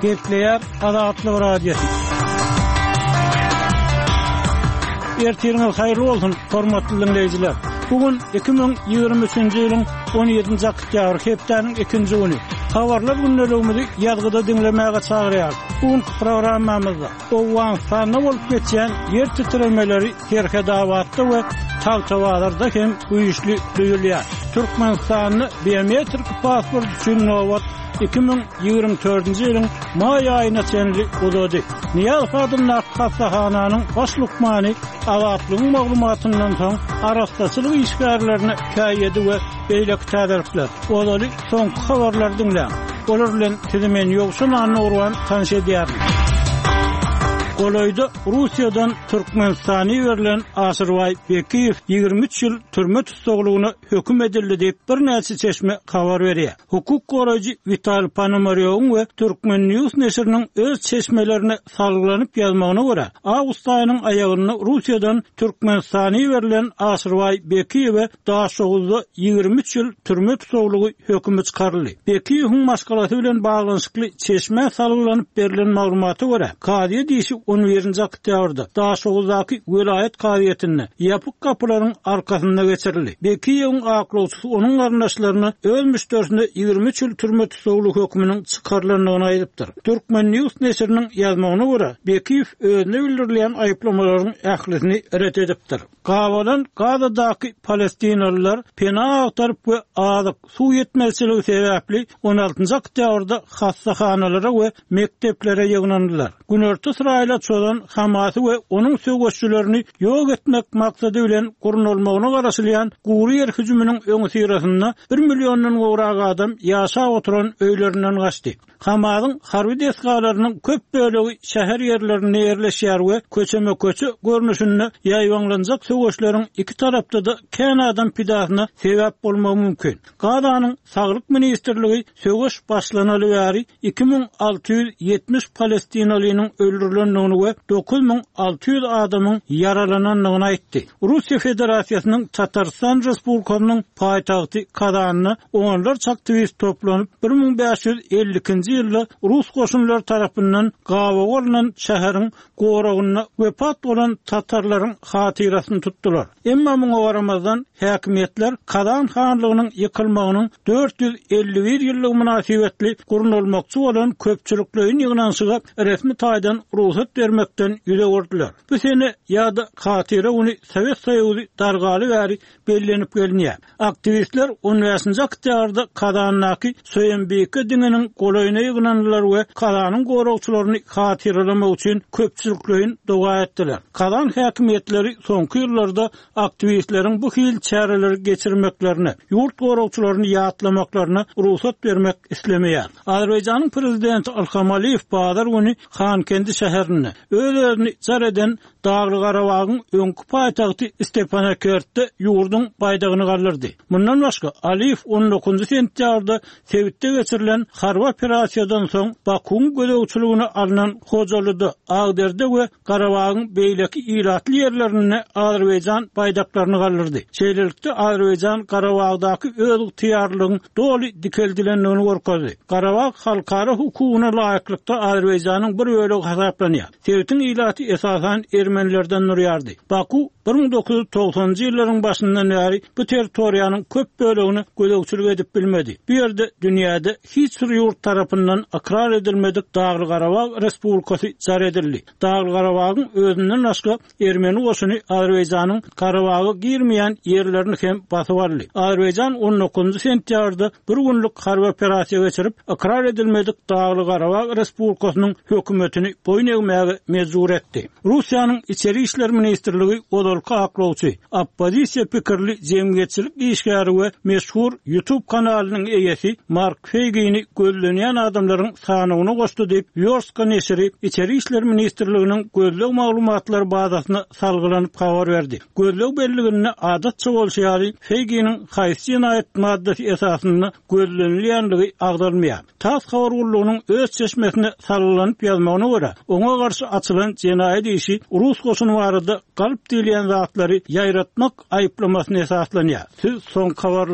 Gepleýär Azatlyk Radiosy. Ertiriňiz haýyrly bolsun, hormatly diňleýjiler! Bu gün 2023-nji ýylyň 17-nji oktýabry, hepdäniň ikinji güni. Habarlar gündeligimizi ýazgyda diňlemäge çagyrýarys. Bu günki programmamyzda Owganystanda bolup geçýän ýer titremeleri Serhetabatda we Tagtabazarda hem güýçli duýulýar. Türkmenistanda biometrik pasport üçin nobat 2024-nji ýylyň maý aýyna çenli uzady. Nyýazow adyndaky hassahananyň baş lukmany Azatlygyň maglumatyndan soň arassaçylyk işgärlerine käýedi we beýleki täzelikler. Ozaly soňky habarlary diňläň. Olar bilen sizi men Ýowşan Annagurban tanyş edýärin. Golaýda Russiýadan Türkmenistana iberilen Aşyrbaý Bekiýew 23 ýyl türme tussaglygyna höküm edildi diýip, birnäçe çeşme habar berýär. Hukuk goraýjy Witaliý Ponomarýowyň we Turkmen News neşiriniň öz çeşmelerine salgylanyp ýazmagyna görä, awgust aýynyň aýagynda Russiýadan Türkmenistana iberilen Aşyrbaý Bekiýewe Daşoguzda 23 ýyl türme tussaglygy hökümi çykaryldy. Bekiýewiň maşgalasy bilen baglanyşykly çeşmä salgylanyp berlen maglumata görä, kazyýet işi on birinji oktýabrda Daşoguzdaky welaýat kazyýetinde, ýapyk gapylaryň arkasynda geçirildi. Bekiýewiň aklawçysy onuň garyndaşlaryna öz müşderisine 23 ýyl türme tussaglygy höküminiň çykarylandygyny aýdypdyr. Turkmen News neşiriniň ýazmagyna görä, Bekiýew özüne bildirilýän aýyplamalaryň ählisini ret edipdir. Gabalan Gazadaky palestinalylar pena agtaryp we azyk, suw ýetmezçiligi sebäpli on altynjy oktýabrda hassahanalara we mekdeplere ýygnandylar. Günorta Ysraýyla çozan Hamasy we onuň söweşçilerini ýok etmek maksady bilen gurnalmagyna garaşylýan gury ýer hüjüminiň öňüsyrasynda bir milliondan gowrak adam ýaşap oturan öýlerinden gaçdy. Hamasyň harby desgalarynyň köp bölegi şäher ýerlerinde ýerleşýär we köçeme-köçe görnüşinde ýaýbaňlanjak söweşleriň iki tarapda-da kän adam pidasyna sebäp bolmagy mümkin. Gazanyň Saglyk ministrligi söweş başlanaly bäri 2670 palestinalynyň öldürilendigini we 9600 adamyň ýaralanandygyny aýtdy. Russiýa Federasiýasynyň Tatarystan Respublikasynyň paýtagty Kazanda onlarça aktiwist toplanyp, 1552-nji ýylda rus goşunlary tarapyndan gabawa alnan şäheriň goragynda wepat bolan tatarlaryň hatyrasyny tutdular. Emma muňa garamazdan, häkimiýetler Kazan hanlygynyň ýykylmagynyň 451 ýyllygy mynasybetli gurnalmakçy bolan köpçülikleýin ýygnanyşyga resmi taýdan rugsat bermekden ýüz öwürdiler. Bu sene ýa-da hatyra güni Sowet Soýuzy dargaly bäri bellenip gelinýär. Aktiwistler on bäşinji oktýabrda Kazandaky Söýenbike diňiniň golaýyna ýygnandylar we Kazanyň goragçylaryny hatyralamak üçin köpçülikleýin doga etdiler. Kazan häkimiýetleri soňky ýyllarda aktiwistleriň bu hili çäreleri geçirmeklerine, ýurt goragçylaryny ýatlamaklaryna rugsat bermek islemeýär. Azerbaýjanyň prezidenti Ilham Aliýew bazar güni Hankendi şäherinde öz-özüni jar eden Dagly-Garabagyň öňki paýtagty Stepanakertde ýurduň baýdagyny galdyrdy. Mundan başga, Aliýew on dokuzynjy sentýabrda sebitde geçirilen harby operasiýadan soň Bakuwyň gözegçiligine alnan Hojalyda, Agderde we Garabagyň beýleki ilatly ýerlerinde Azerbaýjan baýdaklaryny galdyrdy. Şeýlelikde, Azerbaýjan Garabagdaky özygtyýarlylygyň doly dikeldilendigini görkezdi. Garabag halkara hukugyna laýyklykda Azerbaýjanyň bir bölegi hasaplanýar. Sebitiň ilaty esasan ermenilerden durýardy. Baku 1990-njy ýyllaryň başyndan bäri bu territoriýanyň köp bölegine gözegçilik edip bilmedi. Bu ýerde dünýäde hiç bir ýurt tarapyndan ykrar edilmedik Dagly-Garabag Respublikasy jar edildi. Dagly-Garabagyň özünden başga Ermeni goşuny Azerbaýjanyň Garabaga girmeýän ýerlerini hem basyp aldy. Azerbaýjan on dokuzynjy sentýabrda bir günlük harby operasiýa geçirip, ykrar edilmedik Dagly-Garabag Respublikasynyň hökümetini boýun egmäge mejbur etdi. Russiýanyň Içeri işler ministrligi ozalky aklawçy, oppozisiýa pikirli jemgyýetçilik işgäri we meşhur YouTube kanalynyň eýesi Mark Feýgini gözlenýän adamlaryň sanawyna goşdy diýip, Wýorstka neşiri Içeri işler ministrliginiň gözleg maglumatlar bazasyna salgylanyp habar berdi. Gözleg belliginde adatça bolşy ýaly, Feýginiň haýsy jenaýat maddasy esasynda gözlenilýändigi agzalmaýar. Tass habar gullugynyň öz çeşmesine salgylanyp ýazmagyna görä, oňa garşy açylan jenaýat işi rus goşuny barada galp diýilýän zatlary ýaýratmak aýyplamasyna esaslanýar. Siz soňky habarlary.